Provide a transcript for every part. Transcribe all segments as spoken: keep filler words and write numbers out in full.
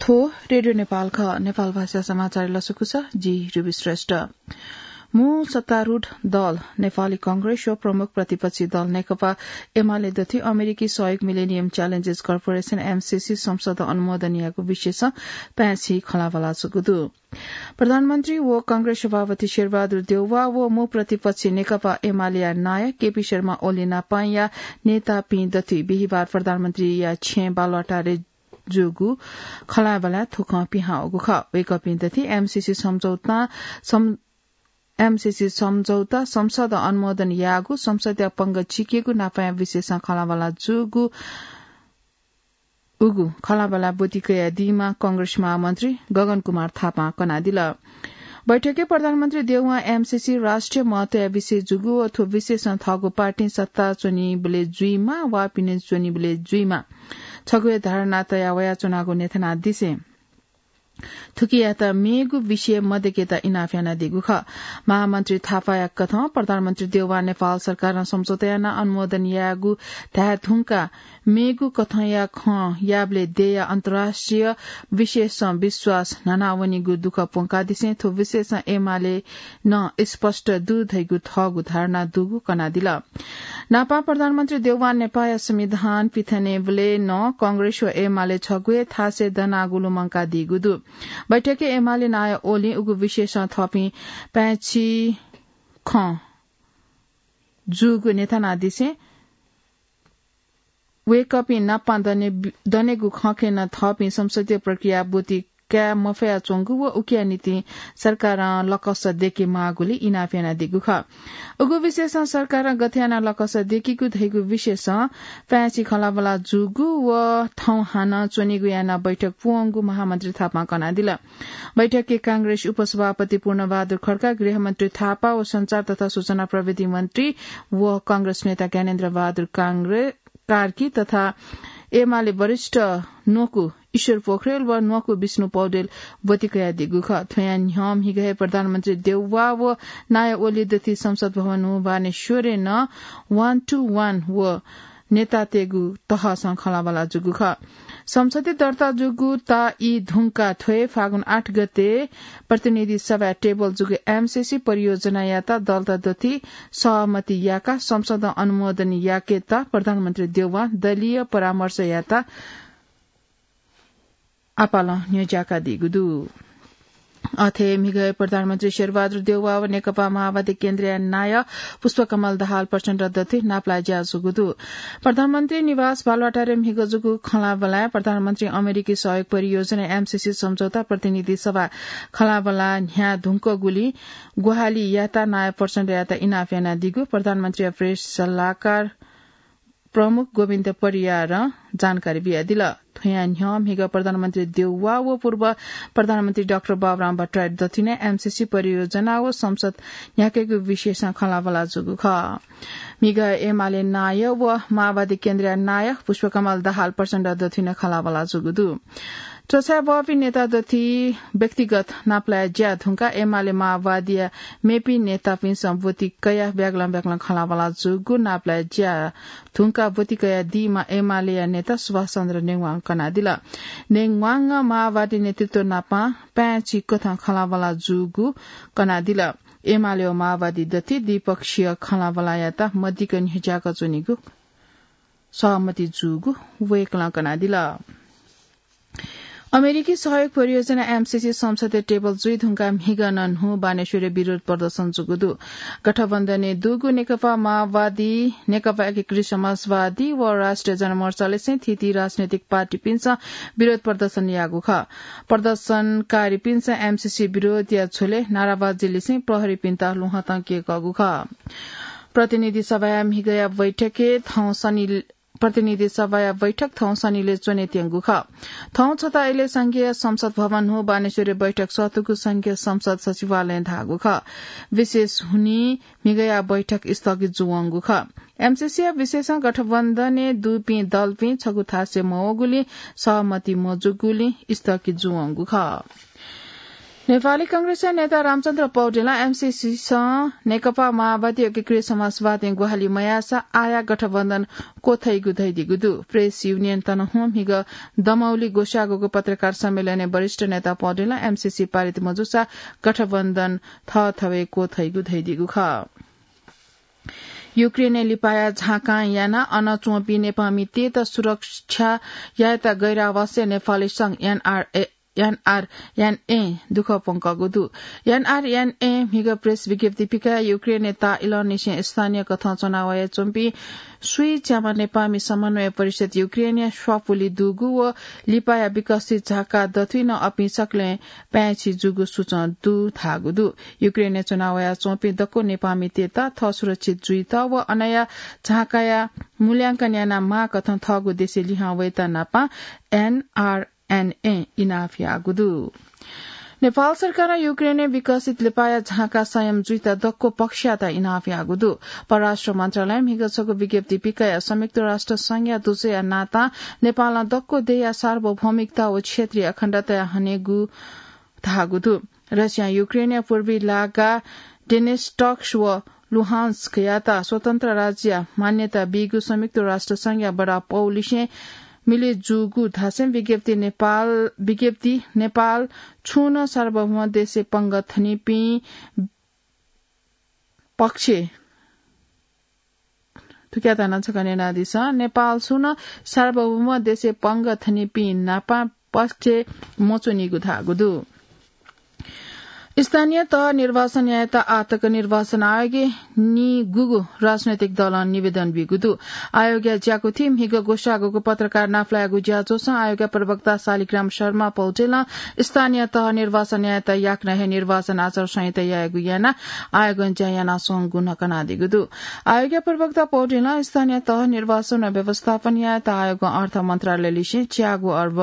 थ्व रेडियो नेपाल खः। नेपाल भाषा समाचार लसकुस, जि रुबी श्रेष्ठ। मू सत्तारूढ दल नेपाली कांग्रेस व प्रमुख प्रतिपक्षी दल नेकपा एमाले दथुइ अमेरिकी सहयोग मिलेनियम च्यालेन्जेस कर्पोरेसन, एमसीसी, संसद अनुमोदन याःगु विषयसं पाय्‌छि खँल्हाबल्हा जूगु दु। प्रधानमन्त्री व कांग्रेस सभापति शेरबहादुर देउवा व मू प्रतिपक्षी नेकपा एमालेया नायः केपी शर्मा ओली नापांया नेतापिं दथुइ बिहिबार प्रधानमन्त्रीया छेँय् बालुवाटारय् जूगु खँल्हाबल्हाय् थुकं पिहां वःगु खः। वय्‌कःपिं दथुइ एमसीसी सम्झौता, सम-, एमसीसी सम्झौता संसद अनुमोदन याःगु, संसदया पंगः चिकेगु नापाया विषयसं खँल्हाबल्हा जूगु उगु खँल्हाबल्हा ब्वति कयादीमा कांग्रेस महामन्त्री गगन कुमार थापां कनादिल। बैठकय् प्रधानमन्त्री देउवां एमसीसी राष्ट्रिय महत्वया विषय जूगु व थ्व विषयसं थःगु पार्टीं सत्ता च्वनीबलय् जुइमा वा पिने च्वनीबलय् जुइमा छगू हे धारणा तया वयाच्वनागु न्ह्यथनादिसें थुकियात मेगु विषय मदय्‌केत इनाप यानादीगु खः। महामन्त्री थापाया कथं प्रधानमन्त्री देउवां नेपाल सरकारं सम्झौता यानाः अनुमोदन याःगु धाये धुंकाः मेगु कथंया खँ याःबलय् देय्‌या अन्तर्राष्ट्रिय विषयसं विश्वास न्हानावनीगु दुःख प्वंकादिसें थ्व विषयसं एमाले नं स्पष्ट दु धइगु थःगु धारणा दुगु कनादिल। नापं प्रधानमन्त्री देउवां नेपाःया संविधान पिथनेबलय् नं कांग्रेस व एमाले छगू हे थासय् दनागु लुमंकादीगु दु। बैठकय् एमाले नायः ओलीं उगु विषयसं थःपिं पाय्‌छि खँ जूगु न्ह्यथनादिसें वय्‌कःपिं नापं दने-, दनेगु खँखय् नं थःपिं संसदीय प्रक्रिया ब्वति काये मफयाच्वंगु व उकिया निंतिं सरकारं लकस दय्‌के माःगुलिं इनाप यानादीगु खः। उगु विषयसं सरकारं गथे यानाः लकस दय्‌केगु धइगु विषयसं पाय्‌छि खँल्हाबल्हा जूगु व थौं हानं च्वनीगु यानाः बैठक प्वंगु महामन्त्री थापां कनादिल। बैठकय् कांग्रेस उपसभापति पूर्णबहादुर खड्का, गृहमन्त्री थापा व सञ्चार तथा सूचना प्रविधि मन्त्री व कांग्रेस नेता ज्ञानेन्द्र बहादुर कांग्रे-, कार्की तथा एमाले वरिष्ठ न्वकू ईश्वर पोखरेल व न्वकू विष्णु पौडेल ब्वति कयादीगु खः। थ्वयां न्ह्यः म्हिगः हे प्रधानमन्त्री देउवा व नायः ओली दथुइ संसद भवन हुँ बानेश्वरय् नं one to one व नेतातय्‌गु तहसं खँल्हाबल्हा जूगु खः। संसदय् दर्ता जूगु ता ई धुंकाः थ्व हे फागुन आठ गते प्रतिनिधि सभाय् टेबल जूगु एमसीसी परियोजनायात दलत दथुइ सहमति याकाः संसदं अनुमोदन याकेत प्रधानमन्त्री देउवां दलीय परामर्शयात आपालं न्ह्यज्याकादीगु दु। अथे म्हिगः प्रधानमन्त्री शेरबहादुर देउवा व नेकपा माओवादी केन्द्रया नायः पुष्पकमल दाहाल प्रचण्ड दथुइ नापलाये ज्या जूगु दु। प्रधानमन्त्री निवास बालुवाटारय् म्हिगः जूगु खँल्हाबल्हाय् प्रधानमन्त्री अमेरिकी सहयोग परियोजना एमसीसी सम्झौता प्रतिनिधि सभा खँल्हाबल्हा न्ह्याः धुंकूगुलिं ग्वाहालि यात नायः प्रचण्डयात इनाप यानादीगु प्रधानमन्त्रीया प्रेस सल्लाहकार प्रमुख गोविन्द परियारं जानकारी बियादिल। थ्वयां न्ह्यः म्हिगः प्रधानमन्त्री देउवा व पूर्व प्रधानमन्त्री डाक्टर बाबुराम भट्टराई दथुइ नं एमसीसी परियोजना व संसद न्ह्याकेगु विषयसं खँल्हाबल्हा जूगु खः। म्हिगः एमाले नायः व माओवादी केन्द्रया नायः पुष्पकमल दाहाल प्रचण्ड दथुइ नं खँल्हाबल्हा जूगु दु। च्वछाय् बहःपिं नेता दथुइ व्यक्तिगत नापलाये ज्या धुंकाः एमाले माओवादीया मेपिं नेतापिन्सं ब्वति कयाः ब्यागलं ब्यागलं खँल्हाबल्हा जूगु नापलाये ज्या धुंकाः ब्वति कयादीम्ह एमालेया नेता सुभाष चन्द्र नेवां कनादिल। नेवांं माओवादी नेतृत्व नाप पाय्‌छि कथं खँल्हाबल्हा जूगु कनादिल। एमाले व माओवादी दथुइ द्विपक्षीय खँल्हाबल्हायात मदिक्क न्ह्यज्याका च्वनीगु सहमति जूगु वय्‌कलं कनादिल। अमेरिकी सहयोग परियोजना एमसीसी संसदय् टेबल जुइ धुंकाः म्हिगः नं न्हू बानेश्वरय् विरोध प्रदर्शन जूगु दु। गठबन्धनय् दुगु नेकपा माओवादी, नेकपा एकीकृत समाजवादी व राष्ट्रिय जनमोर्चालिसें थीथी राजनैतिक पार्टीपिन्सं विरोध प्रदर्शन याःगु खः। प्रदर्शनकारीपिन्सं एमसीसी विरोधया झ्वलय् नाराबाजी लिसें प्रहरीपिन्त ल्वहंतं क्यय्‌कःगु खः। प्रतिनिधि सभाया म्हिगःया बैठकय् थौं शनि प्रतिनिधि सभाया बैठक थौं शनिलय् च्वनेत्यंगु खः। थौं छता इलय् संघीय संसद भवन न्हू बानेश्वरय् बैठक सःतूगु संघीय संसद सचिवालयं धाःगु खः। विशेष हुनिं म्हिगःया बैठक स्थगित जुवंगु खः। एमसीसीया विषयसं गठबन्धनय् दुपिं दलपिं छगू थासय् मवःगुलिं सहमति मजूगुलिं स्थगित जुवंगु खः। नेपाली कांग्रेसया नेता रामचन्द्र पौडेलं एमसीसीसं नेकपा माओवादी एकीकृत समाजवादीं ग्वाहालि मयाःसा आःया गठबन्धन क्वथाइगु धयादीगु दु। प्रेस युनियन तनहुँं म्हिगः दमौली ग्वसाःगुगु पत्रकार सम्मेलनय् वरिष्ठ नेता पौडेलं एमसीसी पारित मजूसा गठबन्धन थःथवय् क्वथाइगु धयादीगु खः। युक्रेनय् लिपाया झाँकां यानाः अन च्वंपिं नेपाःमितय्त सुरक्षा यायेत गैर आवासीय नेपाली संघ एनआरए एनआरएनए दुःख प्वंकःगु दु। एनआरएनए म्हिगः प्रेस विज्ञप्ति पिकाः युक्रेनय् ताःइलंनिसें स्थानीय कथं च्वनावया च्वंपिं स्वीच्याम्ह नेपाःमि समन्वय परिषद युक्रेनया स्वापुलि दुगु व लिपाया विकसित झाँका दथुइ नं अपिं सकलें पाय्छि जूगु सूचं दु धाःगु दु। युक्रेनय् च्वनावया च्वंपिं दक्व नेपाःमितय्त थः सुरक्षित जुइत व अनया झाँकाया मूल्यांकन यानाः माःकथं थःगु देशय् लिहां वयेत नापं एनआर एनए इनाप याःगु दु। नेपाल सरकारं युक्रेनय् विकसित लिपाया झाँका संयम जुइत दक्व पक्षयात इनाप याःगु दु। परराष्ट्र मन्त्रालयं म्हिगः छगू विज्ञप्ति पिकयाः संयुक्त राष्ट्र संघया दुजःया नातां नेपालं दक्व देय्या सार्वभौमिकता व क्षेत्रीय अखण्डताया हनेगु धाःगु दु। रसियां युक्रेनया पूर्वी लागा डेनेस्टक्स व लुहान्स्कयात स्वतन्त्र राज्यया मान्यता बीगु संयुक्त राष्ट्र संघया वडा पौलिसें मिले जूगु धासें विज्ञप्ति नेपाल, विज्ञप्ति नेपाल छुं नं सार्वभौम देशय् पंगः थनीपिं पक्ष थुकियात नं छकः न्यनादिसँ। नेपाल छुं नं सार्वभौम देशय् पंगः थनीपिं नापं पक्ष मच्वनीगु धाःगु दु। स्थानीय तह निर्वाचन यायेत आःतक निर्वाचन आयोगय् निगूगु राजनैतिक दलं निवेदन ब्यूगु दु। आयोगया ज्याकुथिइ म्हिगः ग्वसाःगुगु पत्रकार नापलायेगु ज्याझ्वलय् आयोगया प्रवक्ता शालिग्राम शर्मा पौडेलं स्थानीय तह निर्वाचन यायेत याकनं हे निर्वाचन आचार संहिता यायेगु यानाः आयोगं ज्या यानाच्वंगु नं कनादीगु दु। आयोगया प्रवक्ता पौडेलं स्थानीय तह निर्वाचन व व्यवस्थापन यायेत आयोगं अर्थ मन्त्रालयलिसें च्यागू अर्ब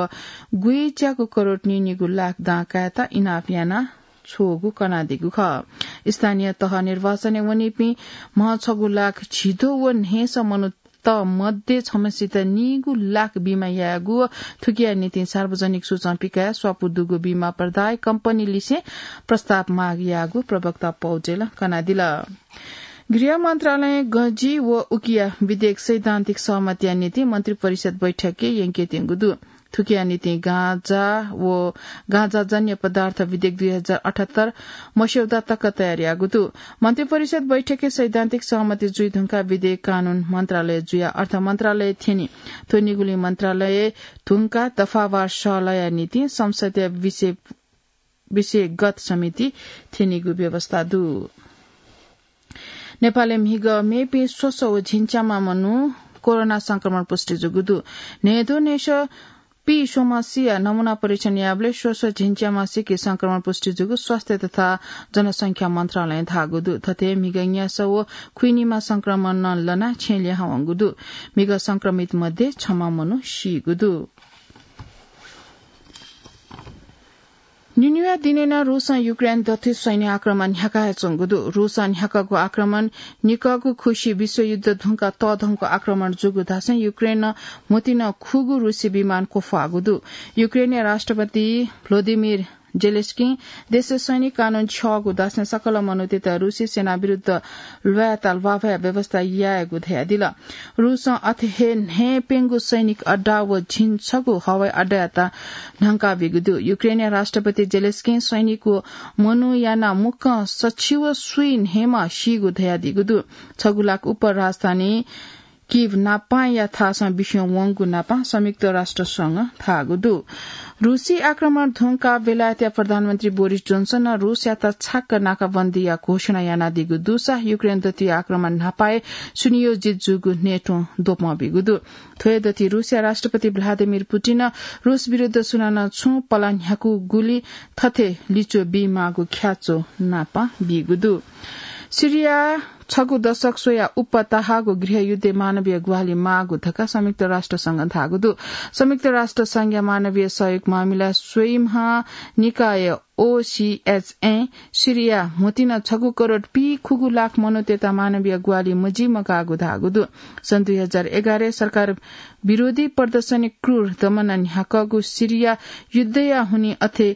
गुइच्यागू करोड निनिगू लाख दां कायेत इनाप याना छ्वःगु कनादीगु खः। स्थानीय तह निर्वाचनय् वनीपिं म्ह छगू लाख झिद्वः व न्हय्सः मनूत मध्ये छम्हसित निगू लाख बीमा यायेगु व थुकिया निंतिं सार्वजनिक सूचं पिकयाः स्वापू दुगु बीमा प्रदाय कम्पनीलिसें प्रस्ताव माग याःगु प्रवक्ता पौडेलं कनादिल। गृह मन्त्रालयं गँजि व उकिया विधेयक सैद्धान्तिक सहमतिया निंतिं मन्त्री परिषद बैठकय् यंकेत्यंगु दु। थुकिया निंतिं गाँजा व गाँजाजन्य पदार्थ विधेयक दुई हजार अठहत्तर मस्यौदा तक तयार याःगु दु। मन्त्री परिषद बैठकय् सैद्धान्तिक सहमति जुइ धुंकाः विधेयक कानून मन्त्रालय जुयाः अर्थ मन्त्रालय थ्यनी। थ्व निगुलिं मन्त्रालय धुंकाः दफावार सहलहया निंतिं संसदया विषय, विषयगत समिति थ्यनीगु व्यवस्था दु। नेपालय् म्हिगः मेपिं स्वसः व झिंच्याम्ह मनू कोरोना संक्रमण पुष्टि जूगु दु। न्हय्द्वः न्हय्सः पीस्वम्हसिया नमूना परीक्षण याःबलय् स्वसः झिंच्याम्हसिके संक्रमण पुष्टि जूगु स्वास्थ्य तथा जनसंख्या मन्त्रालयं धाःगु दु। थथे म्हिगः न्यासः व खुइनिम्ह संक्रमणं लनाः छेँ लिहां वंगु दु। म्हिगः संक्रमित मध्ये छम्ह मनू सीगु दु। निन्हुया दिनय् नं रूसं युक्रेन दथुइ सैन्य आक्रमण न्ह्याका हे च्वंगु दु। रूसं न्ह्याकागु आक्रमण निकःगु खुसि विश्वयुद्ध धुंकाः तःधंगु आक्रमण जूगु धासें युक्रेनं म्होतिं नं खुगू रूसी विमान क्वफ्वाःगु दु। युक्रेनया राष्ट्रपति भ्लोदिमिर जेलेस्किं देशय् सैनिक कानून छ्यःगु धासें सकल मनूतय्त रूसी सेना विरुद्ध ल्वायेत ल्वाभया व्यवस्था यायेगु धयादिल। रूसं अथे हे न्हय्प्यंगू सैनिक अड्डा व झिंछगू हवाई अड्डायात न्हंकाबीगु दु। युक्रेनया राष्ट्रपति जेलेस्किं सैनिक व मनू यानाः मुक्कं सछि व स्वीन्हय्म्ह सीगु धयादीगु दु। छगू लाख उप्पर राजधानी कीव नापांया थासं बिस्युं वंगु नापां संयुक्त राष्ट्र संघं धाःगु दु। रूसी आक्रमण धुंकाः बेलायतया प्रधानमन्त्री बोरिस जोन्सनं रूसयात छाक्क नाकाबन्दीया घोषणा यानादीगु दुसा युक्रेन दथुइ आक्रमण न्हापाय् सुनियोजित जूगु नेटों द्वपं बीगु दु। थ्व हे दथुइ रूसया राष्ट्रपति भ्लादिमिर पुटिनं रूस विरुद्ध सुनानं छुं पला न्ह्याकूगुलिं थथे लिच्वः बीमाःगु ख्याच्वः नापं बीगु दु। सिरिया छगू दशक स्वयाः उप्पा तःहाःगु गृहयुद्धय् मानवीय ग्वाहालि माःगु धकाः संयुक्त राष्ट्र संघं धाःगु दु। संयुक्त राष्ट्र संघया मानवीय सहयोग मामिला स्वइम्ह निकाय ओसीएचएं सिरिया म्होतिं नं छगू करोड पीखुगू लाख मनूतय्त मानवीय ग्वाहालि मजिमकाःगु धाःगु दु। सन् दुई हजार एघारय् सरकार विरोधी प्रदर्शनय् क्रूर दमनं न्ह्याकःगु सिरिया युद्धया हुनिं अथे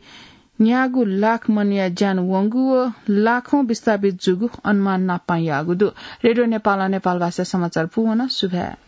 न्यागू लाख मनया ज्यान वंगु व लाखौं विस्थापित जूगु अनुमान नापपां याःगु दु। रेडियो नेपालं नेपाल भाषा समाचार पूवन। सुभाय्।